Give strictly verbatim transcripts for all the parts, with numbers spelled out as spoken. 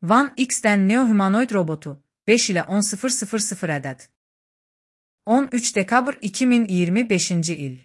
Van X'dən Neo humanoid robotu beş ilə on min ədəd. on üç dekabr iki min iyirmi beşinci il.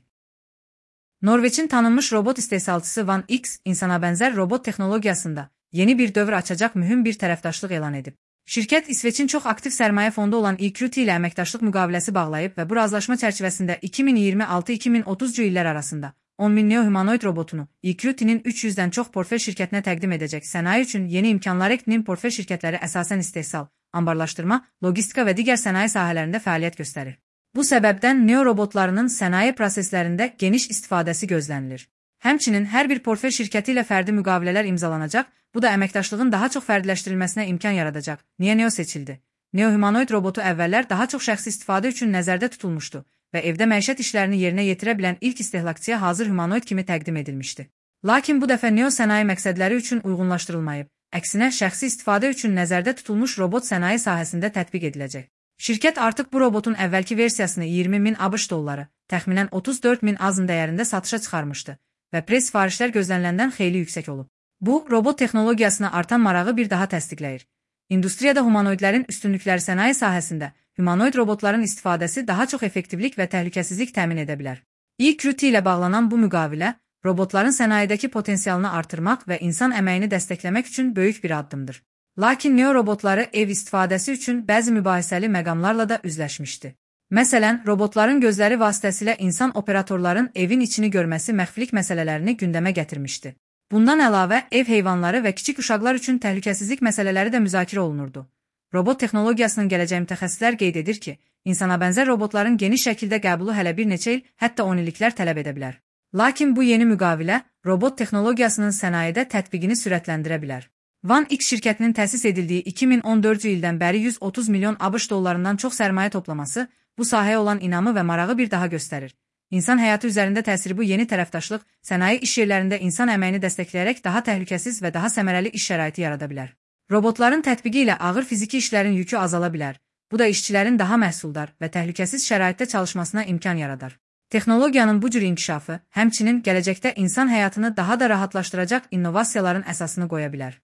Norveçin tanınmış robot istehsalçısı Van X, insana bənzər robot texnologiyasında yeni bir dövr açacaq mühüm bir tərəfdaşlıq elan edib. Şirkət İsveçin çox aktiv sərmayə fondu olan E Q T ilə əməkdaşlıq müqaviləsi bağlayıb və bu razılaşma çərçivəsində iki min iyirmi altı iki min otuzcu illər arasında on min neo humanoid robotunu E Q T'nin üç yüzdən çox portfel şirkətinə təqdim edəcək. Sənaye üçün yeni imkanlar E Q T'nin portfel şirkətləri əsasən istehsal, anbarlaşdırma, logistika və digər sənaye sahələrində fəaliyyət göstərir. Bu səbəbdən neo robotlarının sənaye proseslərində geniş istifadəsi gözlənilir. Həmçinin hər bir portfel şirkəti ilə fərdi müqavilələr imzalanacaq, bu da əməkdaşlığın daha çox fərdiləşdirilməsinə imkan yaradacaq. Niyə Neo seçildi? Neo humanoid robotu əvvəllər daha çox şəxsi istifadə üçün nəzərdə tutulmuşdu və evdə məişət işlərini yerinə yetirə bilən ilk istehlakçıya hazır humanoid kimi təqdim edilmişdi. Lakin bu dəfə Neo sənaye məqsədləri üçün uyğunlaşdırılmayıb, əksinə şəxsi istifadə üçün nəzərdə tutulmuş robot sənaye sahəsində tətbiq ediləcək. Şirkət artıq bu robotun əvvəlki versiyasını iyirmi min ABŞ dolları, təxminən otuz dörd min azm dəyərində satışa çıxarmışdı və press sifarişlər gözləniləndən xeyli yüksək olub. Bu, robot texnologiyasına artan marağı bir daha təsdiqləyir. İndustriyada humanoidlərin üstünlükləri sənaye sahəsində humanoid robotların istifadəsi daha çox effektivlik və təhlükəsizlik təmin edə bilər. E Q T ilə bağlanan bu müqavilə, robotların sənayedəki potensialını artırmaq və insan əməyini dəstəkləmək üçün böyük bir addımdır. Lakin neo robotları ev istifadəsi üçün bəzi mübahisəli məqamlarla da üzləşmişdi. Məsələn, robotların gözləri vasitəsilə insan operatorların evin içini görməsi məxfilik məsələlərini gündəmə gətirmişdi. Bundan əlavə, ev heyvanları və kiçik uşaqlar üçün təhlükəsizlik məsələləri də müzakirə olunurdu. Robot texnologiyasının gələcəyi mütəxəssislər qeyd edir ki, insana bənzər robotların geniş şəkildə qəbulu hələ bir neçə il, hətta on illiklər tələb edə bilər. Lakin bu yeni müqavilə, robot texnologiyasının sənayedə tətbiqini sürətləndirə bilər. Van X şirkətinin təsis edildiyi iki min on dördüncü ildən bəri yüz otuz milyon ABŞ dollarından çox sərmayə toplaması, bu sahəyə olan inamı və marağı bir daha göstərir. İnsan həyatı üzərində təsiri bu yeni tərəfdaşlıq, sənaye iş yerlərində insan əməyini dəstəkləyərək daha təhlükəsiz və daha səmərəli iş şəraiti yarada bilər. Robotların tətbiqi ilə ağır fiziki işlərin yükü azala bilər. Bu da işçilərin daha məhsuldar və təhlükəsiz şəraitdə çalışmasına imkan yaradar. Texnologiyanın bu cür inkişafı, həmçinin gələcəkdə insan həyatını daha da rahatlaşdıracaq innovasiyaların əsasını qoya bilər.